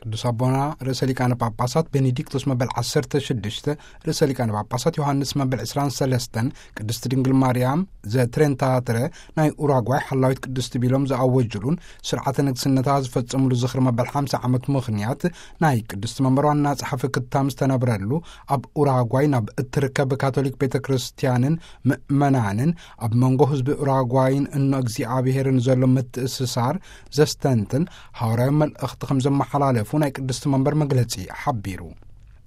ቅዱስ ኣቦና ርእሰ ሊቃነ ጳጳሳት ቤኔዲክቶስ መበል ዓሰርተ ሽዱሽተ፣ ርእሰ ሊቃነ ጳጳሳት ዮሃንስ መበል ዕስራን ሰለስተን፣ ቅድስት ድንግል ማርያም ዘትሬንታትረ ናይ ኡራጓይ ሓላዊት ቅድስቲ ቢሎም ዝኣወጅሉን ስርዓተ ንግስነታ ዝፈጸሙሉ ዝኽሪ መበል ሓምሳ ዓመት ምኽንያት፣ ናይ ቅድስቲ መንበር ዋና ጸሓፊ ክታም ዝተነብረሉ፣ ኣብ ኡራጓይ ናብ እትርከብ ካቶሊክ ቤተ ክርስቲያንን ምእመናንን ኣብ መንጎ ህዝቢ ኡራጓይን እኖ እግዚኣብሔርን ዘሎ ምትእስሳር ዘስተንትን ሃዋርያዊ መልእኽቲ ከም ዘመሓላለፉ ናይ ቅድስቲ መንበር መግለጺ ሓቢሩ።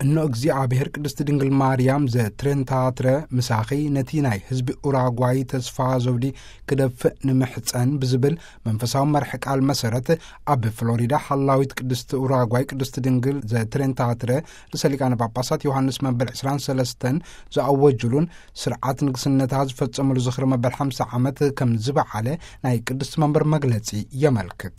እኖ እግዚኣብሔር ቅድስቲ ድንግል ማርያም ዘትሬንታትረ ምሳኺ ነቲ ናይ ህዝቢ ኡራጓይ ተስፋ ዘውዲ ክደፍእ ንምሕጸን ብዝብል መንፈሳዊ መርሒ ቃል መሰረት፣ ኣብ ፍሎሪዳ ሓላዊት ቅድስቲ ኡራጓይ ቅድስቲ ድንግል ዘትሬንታትረ ርእሰ ሊቃነ ጳጳሳት ዮሃንስ መበል ዕስራን ሰለስተን ዝኣወጅሉን ስርዓት ንግስነታ ዝፈጸሙሉ ዝኽሪ መበል ሓምሳ ዓመት ከም ዝበዓለ ናይ ቅድስቲ መንበር መግለጺ የመልክት።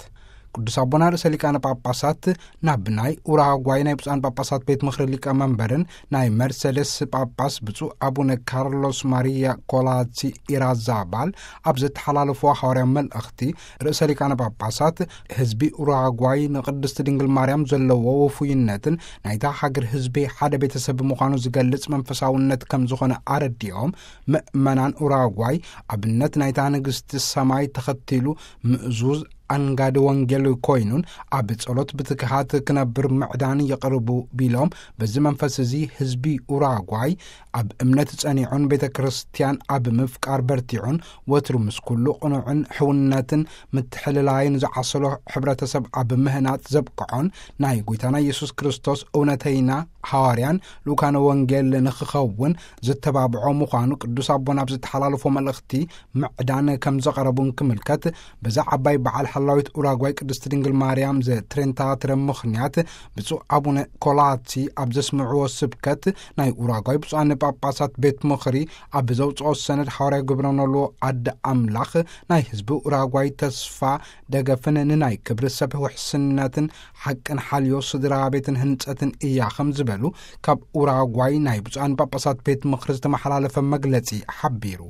ቅዱስ ኣቦና ርእሰ ሊቃነ ጳጳሳት ናብ ናይ ኡራጓይ ናይ ብፁዓን ጳጳሳት ቤት ምኽሪ ሊቀ መንበርን ናይ መርሴዴስ ጳጳስ ብፁዕ ኣቡነ ካርሎስ ማሪያ ኮላሲ ኢራዛባል ኣብ ዘተሓላለፍዎ ሓዋርያዊ መልእኽቲ፣ ርእሰ ሊቃነ ጳጳሳት ህዝቢ ኡራጓይ ንቅድስቲ ድንግል ማርያም ዘለዎ ወፉይነትን ናይታ ሃገር ህዝቢ ሓደ ቤተሰብ ምዃኑ ዝገልጽ መንፈሳውነት ከም ዝኾነ ኣረዲኦም፣ ምእመናን ኡራጓይ ኣብነት ናይታ ንግስቲ ሰማይ ተኸቲሉ ምእዙዝ ኣንጋዲ ወንጌል ኮይኑን ኣብ ጸሎት ብትግሃት ክነብር ምዕዳን የቕርቡ ቢሎም፣ በዚ መንፈስ እዚ ህዝቢ ኡራጓይ ኣብ እምነት ጸኒዑን ቤተ ክርስቲያን ኣብ ምፍቃር በርቲዑን ወትሩ ምስ ኩሉ ቅኑዕን ሕውነትን ምትሕልላይን ዝዓሰሎ ሕብረተሰብ ኣብ ምህናጽ ዘብቅዖን ናይ ጎይታና ኢየሱስ ክርስቶስ እውነተይና ሃዋርያን ልኡካነ ወንጌል ንኽኸውን ዝተባብዖ ምዃኑ ቅዱስ ኣቦና ኣብ ዝተሓላለፎ መልእኽቲ ምዕዳን ከም ዘቐረቡን ክምልከት፣ በዛ ዓባይ በዓል ሓላዊት ኡራጓይ ቅድስቲ ድንግል ማርያም ዘትሬንታትረ ምኽንያት ብፁዕ ኣቡነ ኮላሲ ኣብ ዘስምዕዎ ስብከት፣ ናይ ኡራጓይ ብፁዓን ጳጳሳት ቤት ምኽሪ ኣብ ዘውፅኦ ሰነድ ሓዋርያ ግብረ ኖልዎ ኣደ ኣምላኽ ናይ ህዝቢ ኡራጓይ ተስፋ ደገፍን ንናይ ክብሪ ሰብ ውሕስነትን ሓቅን ሓልዮ ስድራ ቤትን ህንጸትን እያ ከም ዝበሉ ካብ ኡራጓይ ናይ ብፁዓን ጳጳሳት ቤት ምኽሪ ዝተመሓላለፈ መግለጺ ሓቢሩ።